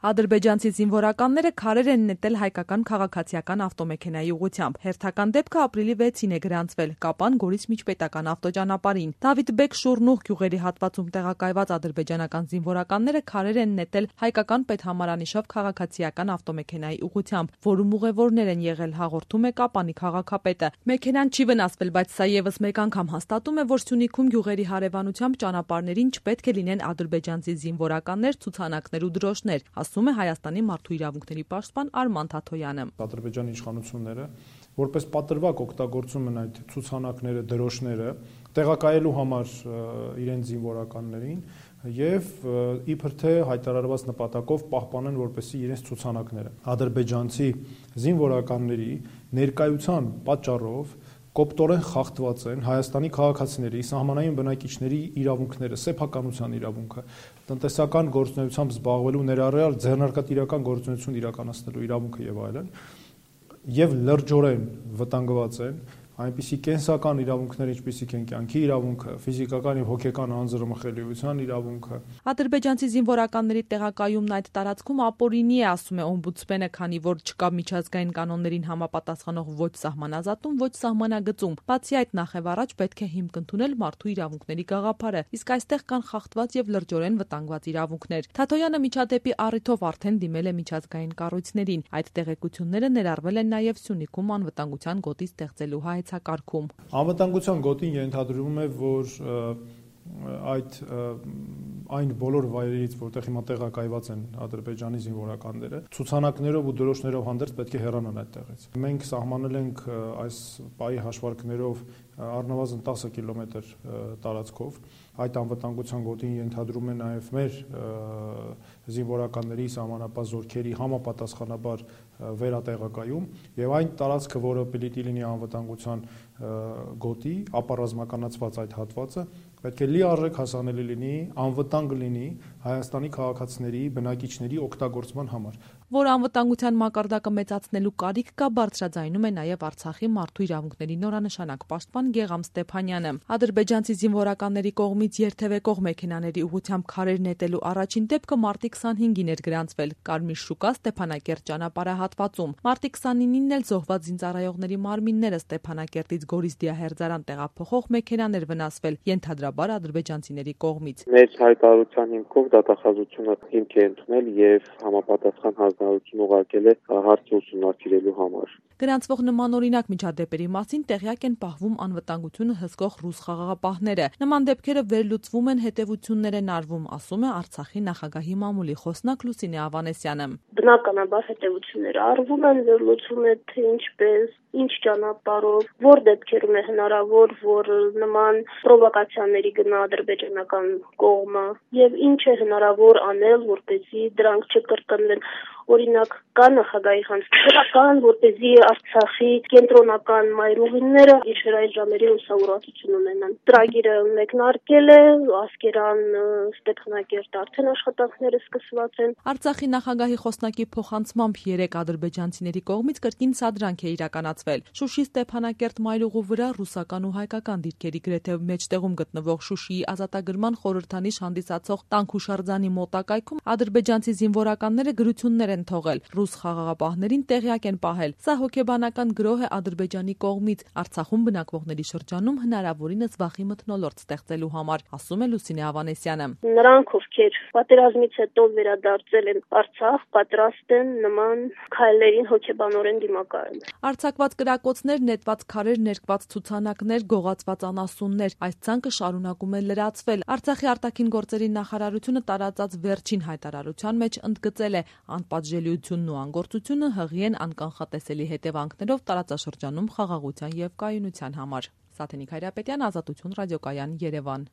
Ադրբեջանցի զինվորականները քարեր են նետել հայկական քաղաքացիական ավտոմեքենայի ուղղությամբ։ Հերթական դեպքը ապրիլի 6-ին է գրանցվել Կապան Գորիս միջպետական ավտոճանապարհին։ Դավիթբեկ Շուրնուղ գյուղերի հատվածում տեղակայված ադրբեջանական զինվորականները քարեր են նետել հայկական պետհամարանիշով քաղաքացիական ավտոմեքենայի ուղղությամբ, որում ուղևորներ են եղել, հաղորդում է Կապանի քաղաքապետը։ Մեքենան չի վնասվել, բայց սա եւս մեկ անգամ հաստատում է, որ Սյունիքում գյուղերի հարևանությամբ ճանապարհներին չպետք է լինեն ադրբեջանցի զինվորականներ, ցուցանակներ ու դրոշներ, ասում է Հայաստանի մարդու իրավունքների պաշտպան Արման Թաթոյանը։ Ադրբեջանի իշխանությունները որպես պատրվակ օգտագործում են այդ ցուցանակները, դրոշները տեղակայելու համար իրենց զինվորականներին եւ իբր թե հայտարարված նպատակով պահպանեն որպեսզի իրենց ցուցանակները ադրբեջանցի զինվորականների ներկայության պատճառով կոպտորեն խախտված են Հայաստանի քաղաքացիների, սահմանային բնակիչների իրավունքները, սեփականության իրավունքը, տնտեսական գործունեությամբ զբաղվելու ներառյալ ձեռնարկատիրական գործունեություն իրականացնելու իրավունքը եւ այլն, եւ լրջորեն վտանգված են այնպիսի կենսական իրավունքներ, ինչպիսիք են կյանքի իրավունքը, ֆիզիկական եւ հոգեկան անձրմխելիության իրավունքը։ Ադրբեջանցի զինվորականների տեղակայումն այդ տարածքում ապօրինի է, ասում է օմբուդսմենը, քանի որ չկա միջազգային կանոններին համապատասխանող ոչ սահմանազատում, ոչ սահմանագծում։ Բացի այդ, նախևառաջ պետք է հիմք ընդունել մարդու իրավունքների գաղափարը, իսկ այստեղ կան խախտված եւ լրջորեն վտանգված իրավունքներ։ Թաթոյանը միջադեպի առիթով արդեն դիմել է միջազգային կառույցներին։ Այդ տեղեկությունները ներառվել են նաեւ Սյունիքում անվտանգության գոտի ստեղծելու հայեցակարգում։ Անվտանգության գոտին ենթադրվում է, որ այն բոլոր վայրերից, որտեղ հիմա տեղակայված են ադրբեջանի զինվորականները, ցուցանակներով ու դրոշներով հանդերձ պետք է հեռանան այդտեղից։ Մենք սահմանել ենք այս պահի հաշվարկներով առնվազն 10 կիլոմետր տարածքով։ Այդ անվտանգության գոտին ենթադրում է նաև մեր զինվորականների սահմանապահ զորքերի համապատասխանաբար վերատեղակայում եւ այն տարածքը, որը պիտի լինի անվտանգության գոտի, ապառազմականացված այդ հատվածը պետք է լիարժեք հասանելի լինի, անվտանգ լինի Հայաստանի քաղաքացիների, բնակիչների օգտագործման համար։ Որ անվտանգության մակարդակը մեծացնելու կարիք կա, բարձրաձայնում է նաև Արցախի մարդու իրավունքների նորանշանակ պաշտպան Գեգամ Ստեփանյանը։ Ադրբեջանցի զինվորականների կողմից երթևեկող մեքենաների ուղղությամբ քարեր նետելու առաջին դեպքը մարտի 25-ին էր գրանցվել Կարմիր շուկա Ստեփանակերտ ճանապարհահատվածում։ Մարտի 29-ին էլ զոհված զինծառայողների մարմինները Ստեփանակերտից Գորիս Դիահերձարան տեղափոխող մեքենաներ վնասվել, ենթադրաբար ադրբեջանցիների կողմից։ Մեր հայտարարության հիմքով դատախազությունը հիմք է ընդունել եւ համապատասխան հանձնարարություն ուղարկել է հարցը ուսումնասիրելու համար։ Գրանցվող նմանօրինակ միջադեպերի մասին տեղյակ են պահվում անվտանգությունը հսկող ռուս խաղաղապահները։ Նման դեպքերը վերլուծվում են, հետևություններ են արվում, ասում է Արցախի նախագահի մամուլի խոսնակ Լուսինե Ավանեսյանը։ Բնականաբար հետևությունները արվում են, վերլուծվում է թե ինչպես, ինչ ճանապարհով, որ դեպքերում է հնարավոր, որ նման պրովոկացիաների գնա ադրբեջանական կողմը եւ ինչ է հնարավոր անել, որպեսզի դրանք չկրկնվեն։ Օրինակ, կա նախագահի հանձնարարական, որպեսզի Արցախի կենտրոնական մայրուղիները գիշերային ժամերին լուսավորություն ունենան։ Ծրագիրը մեկնարկել է, Ասկերան, Ստեփանակերտ արդեն աշխատանքները սկսված են։ Արցախի նախագահի խոսնակի փոխանցմամբ 3 ադրբեջանցիների կողմից կրկին սադրանք է իրականացվել։ Շուշի Ստեփանակերտ մայրուղու վրա ռուսական ու հայկական դիրքերի գրեթե մեջտեղում գտնվող Շուշիի ազատագրման խորհրդանիշ հանդիսացող Տանքուշարձանի մոտակայքում ադրբեջանցի զինվորականները գրություններ են թողել, ռուս խաղաղապահներին տեղյակ են պահել։ Սա հոգեբանական գրոհ է Ադրբեջանի կողմից Արցախում բնակվողների շրջանում հնարավորինս վախի մթնոլորտ ստեղծելու համար, ասում է Լուսինե Ավանեսյանը։ Նրանք, ովքեր պատերազմից հետո վերադարձել են Արցախ, պատրաստ են նման քայլերին հոգեբանորեն դիմակայել։ Արձակված կրակոցներ, նետված քարեր, ներկված ցուցանակներ, գողացված անասուններ, այս ցանկը շարունակում է լրացվել։ Արցախի արտաքին գործերի նախարարությունը տարածած վերջին հայտարարության մեջ ընդգծել է անպատժելիությունն ու անգործությունը հղի են անկանխատեսելի հետևանքներով տարածաշրջանում խաղաղության եւ կայունության համար։ Սաթենիկ Հայրապետյան, Ազատություն ռադիոկայան, Երևան։